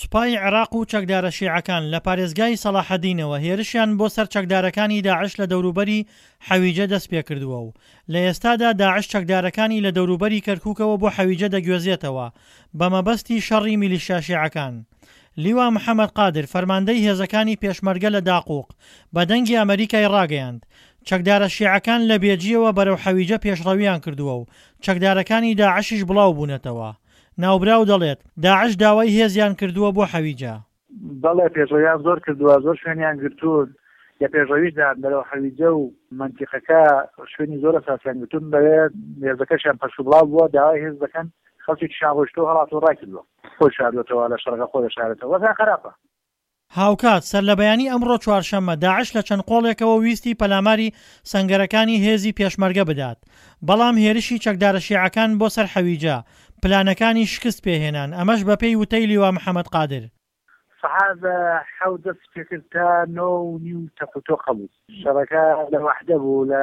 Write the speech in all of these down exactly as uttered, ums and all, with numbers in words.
سوپای عێراق و چەکدارە شیعەکان لە پارێزگای سەڵاحەدینەوە هێرشیان بۆ سەر چەکدارەکانی داعش لە دەوروبەری حەویجە دەستپێکردووە و لە ئێستادا داعش چەکدارەکانی لە دەوروبەری کەرکوکەوە بۆ حەویجە دەگوێزێتەوە بە مەبەستی شەڕی میلیشیا شیعەکان. لیوا محەمەد قادر فەرماندەی هێزەکانی پێشمەرگە لە داقوق بە دەنگی ئەمەریکای ڕاگەیاند چەکدارە شیعەکان لە بێجیەوە بەرەو حەویجە پێشڕەویان کردووە و چەکدارەکانی داعشیش بڵاوبوونەتەوە. ناوبراو دەڵێت، داعش داوای هێزیان کردووە بۆ حەویجە. بەڵێ پێشڕەویان زۆر کردووە، زۆر شوێنیان گرتوون، لە پێشڕەویشدان بەرەو حەویجە و مەنتیقەکە شوێنی زۆر ئەساسیان گرتوون، بەوێ هێزەکەشیان پەرشوبڵاو بووە، داوای هێز دەکەن، خەڵکێکیشیان ڕۆیشتووە هەڵاتووە ڕایکردووە، خۆی شاردووەتەوە لە شەڕەکە خۆی دەشارێتەوە، وەزعیان خەراپە. هاوکات، سەرلەبەیانی ئەمڕۆ چوارشەممە داعش لە چەند قۆڵێکەوە ویستی پەلاماری سەنگەرەکانی هێزی پێشمەرگە بدات، بەڵام هێرشی چەکدارە شیعەکان بۆ سەر حەویجە، پلانەکانی شکست پێهێنان، ئەمەش بەپێی وتەی لیوا محەمەد قادر. سەعات حەوت دەستی پێکرد تا نۆ و نیو تەق و تۆق هەبوو. شەڕەکە لە وەحدە بوو، لە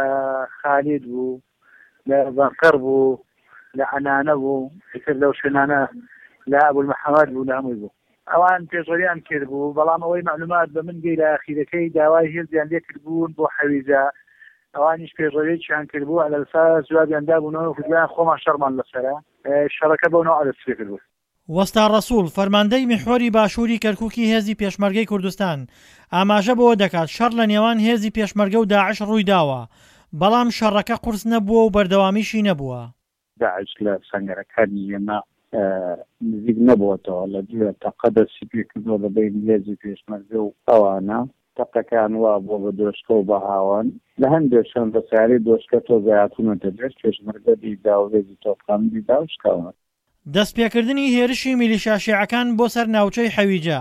خالید بوو، لە بەنقەر بوو، لە عەنانە بوو، ئیتر لەو شوێنانە لە ئەبولمحەمەد بوو، لە هەمووی بوو. ئەوان پێشڕەویان کردبوو، بەڵام ئەوەی مەعلومات بە من گەی لە ئاخیرەکەی داوای هێزیان لێ کردبوون بۆ حەویجە، ئەوانیش پێشڕەویەکیان کردبوو، عەلەلئەساس جوابیان دابوونەوە وتبوویان خۆمان شەڕمان لەسەرە، شەڕەکە بەو نەوعە دەستی پێ کردبوو. وەستا ڕەسوڵ، فەرماندەی میحوەری باشووری کەرکوکی هێزی پێشمەرگەی کوردستان، ئاماژە بەوە دەکات شەڕ لە نێوان هێزی پێشمەرگە و داعش ڕوویداوە، بەڵام شەڕەکە قورس نەبووە و بەردەوامیشی نەبووە. داعش لە سەنگەرەکانی ئێمە نزیک نەبووەتەوە، لە دوێ تەقە دەستی پێکردووە لە بەینی هێزی پێشمەرگە و ئەوانە، تەقەکان وا بووە بە دۆشکە و بە هاوەن، لە هەندێک شوێن بە سەیارەی دۆشکە تۆزێ هاتوونەتە پێش، پێشمەرگە لیدا و هێزی تۆپخانە لیدا و شکاونەتەوە. دەستپێکردنی هێرشی میلیشیا شیعەکان بۆ سەر ناوچەی حەویجە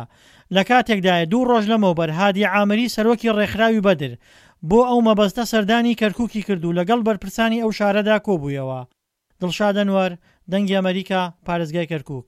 لە کاتێکدایە دوو ڕۆژ لەمەوبەر هادی عامری سەرۆکی ڕێکخراوی بەدر بۆ ئەو مەبەستە سەردانی کەرکوکی کرد و لەگەڵ بەرپرسانی ئەو شارەدا کۆبوویەوە. دڵشاد ئەنوەر، دەنگی ئەمەریکا، پارێزگای کەرکوک.